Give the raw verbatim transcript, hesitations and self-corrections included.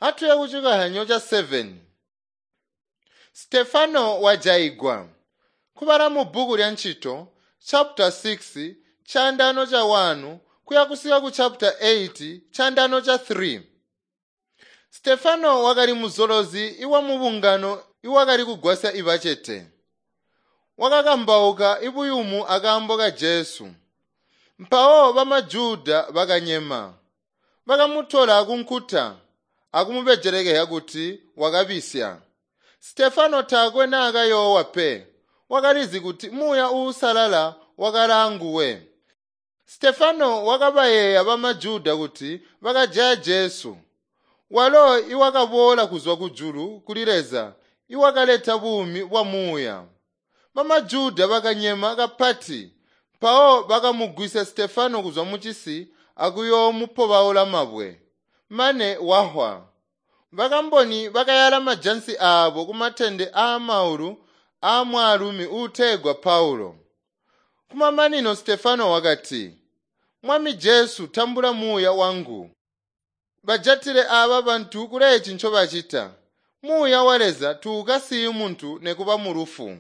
Atuye kucikahanyo ca seven. Stefano wajaigwa. Kubala mu bbuku lya Ntchito chapter six chandano cha one kuya kusika ku chapter eight chandano cha three. Stefano wakali muzolozi iwa mubungano iwakali kugwasya ibacete. Wakakambauka ibuyumu akaambo ka Jesu. Mpawo bamaJuda bakanyema. Bakamutola kunkuta akumubejelekeya kuti wakabisya. Stefano taakwe naakayoowa pe. Wakalizi kuti muuya uusalala wakali Stefano wakabayeeya bamaJuda kuti bakajaya Jesu. Walo iwakaboola kuzwa kujulu kuli Leza iwakaleta buumi bwa muuya. BamaJuda bakanyema kapati mpawo bakamugwisya Stefano kuzwa mucisi akuyoomupobaula mabwe mane wahwa. Bakamboni bakayala majansi aabo kumatende aamaulu aamwaalumi uutegwa Paulo. Kumamanino Stefano wakati, "Mwami Jesu tambula muuya wangu." Bajatile aaba bantu kuleeci ncobacita. Muuya wa Leza tuukasiyi muntu nekuba mu lufu.